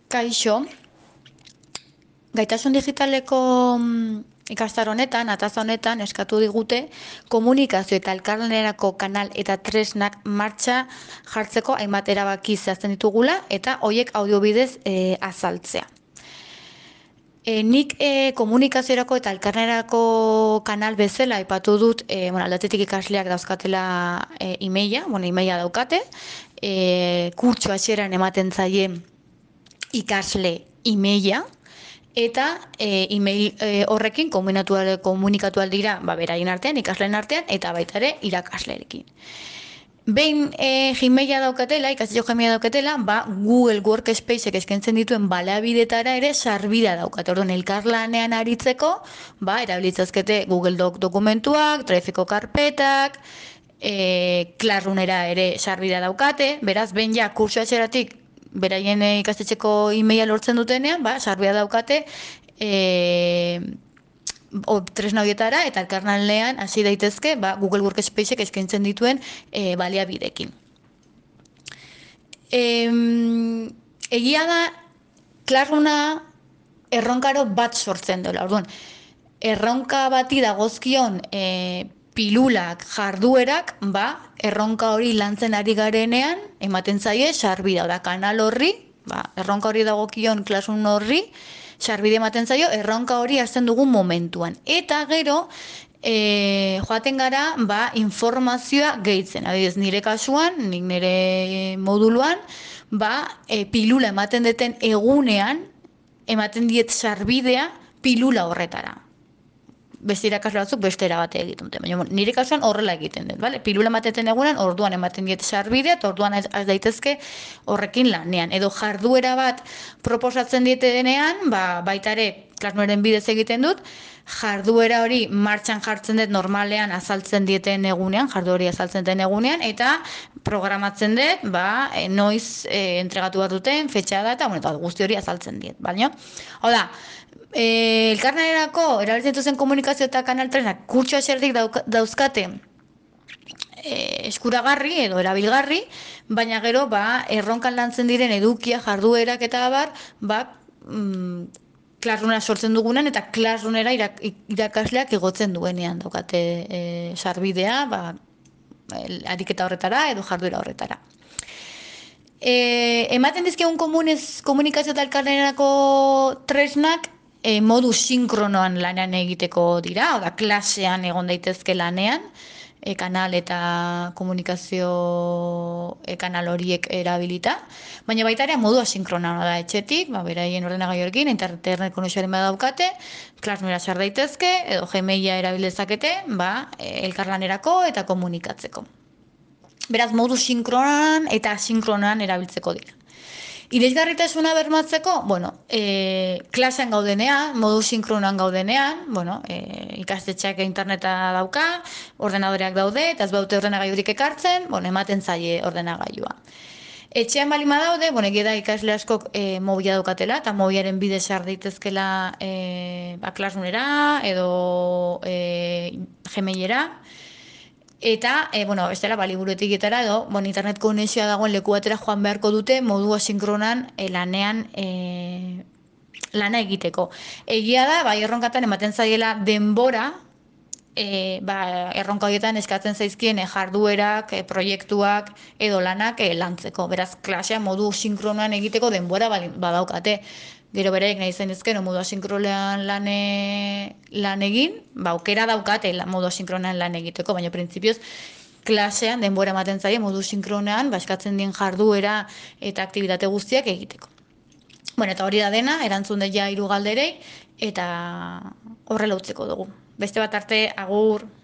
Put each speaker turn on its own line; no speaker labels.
Kaixo, gaitasun digitaleko ikastaro honetan, ataza honetan, eskatu digute komunikazio eta elkarlanerako kanal eta tresnak martxa jartzeko hainbat erabaki zehazten ditugula eta hoiek audiobidez azaltzea. Nik komunikaziorako eta elkarlanerako kanal bezala aipatu dut, aldatetik ikasleak dauzkatela emaila, emaila daukate, kurtso hasieran ematen zaie ikasle emaila, eta email horrekin komunikatu aldira beraien artean, ikasleen artean, eta baita ere irakasleekin. Behin Gmaila daukatela, ikastetxo Gmaila daukatela, Google Workspaceek eskaintzen dituen baliabidetara ere sarbidea daukate. Orduan, elkarlanean aritzeko, erabilitzazkete Google dokumentuak, Drive-eko karpetak, Classroomera ere sarbidea daukate, beraz, behin ja kurtso hasieratik beraien ikastetxeko emaila lortzen dutenean, sarbidea daukate tresna horietara eta elkarlanean hasi daitezke Google Workspaceek eskaintzen dituen baliabidekin. Egia da, Classrooma erronkaro bat sortzen dela. Orduan, erronka bati dagozkion pilulak, jarduerak, erronka hori lantzen ari garenean, ematen zaie sarbidea, kanal horri, erronka hori dagokion Classroom horri, sarbide ematen zaio, erronka hori hasten dugun momentuan. Eta gero, joaten gara, informazioa gehitzen. Adibidez, nire kasuan, nik nire moduluan, pilula ematen deten egunean, ematen diet sarbidea pilula horretara. Beste irakasle batzuk beste erabate egiten dute. Baina nire kasuan horrela egiten dut, bale? Pilula ematen egunean, orduan ematen diet sarbidea, eta orduan ez daitezke horrekin lanean. Edo jarduera bat proposatzen diete denean, baita ere Classroomeren bidez egiten dut, jarduera hori martxan jartzen dut normalean azaltzen dieten egunean, jardu hori azaltzen den egunean, eta programatzen dut, noiz entregatu bat duten, fetxa da, eta guzti hori azaltzen diet, baina? Hau da, elkarlanerako erabiltzen duzen komunikazio eta kanal tresnak kurtso hasieratik dauzkate eskuragarri edo erabilgarri, baina gero erronkan lantzen diren edukia, jarduerak eta abar, Classroomera sortzen dugunen eta Classroomera irakasleak igotzen duenean daukate sarbidea, ariketa horretara edo jarduera horretara. Ematen dizkigun komunikazio eta elkarlanerako tresnak modu sinkronoan lanean egiteko dira, oda klasean egon daitezke lanean, kanal eta komunikazio kanal horiek erabilita, baina baita ere modu asinkronoan da etxetik, beraien ordenagailuekin, internet konexioaren badaukate, Classroomera sar daitezke, edo Gmaila erabilezakete, elkarlanerako eta komunikatzeko. Beraz, modu sinkronan eta asinkronan erabiltzeko dira. Irisgarritasuna bermatzeko, klasean gaudenean, modu sinkronan gaudenean, ikastetxeak interneta dauka, ordenadoreak daude, eta ez baute ordenagailurik ekartzen, ematen zaie ordenagailua. Etxean balima daude, egia da ikasle askok mobila daukatela, eta mobilaren bidez sar daitezkela Classroomera edo Gmailera. Eta, bestela, liburuetiketara edo, internet konexioa dagoen leku batera joan beharko dute modu asinkronan lanean lana egiteko. Egia da, erronkatan ematen zaiela denbora, erronka horietan eskatzen zaizkien jarduerak, proiektuak edo lanak lantzeko. Beraz, klasea modu sinkronan egiteko denbora badaukate. Gero beraiek nahi zen ezken, modu asinkronean lan egin, aukera daukate modu asinkronean lan egiteko, baina printzipioz klasean denbora ematen zaie modu sinkronean eskatzen dien jarduera eta aktibitate guztiak egiteko. Eta hori da dena, erantzun dut ja 3 galderei, eta horrela utziko dugu. Beste bat arte, agur!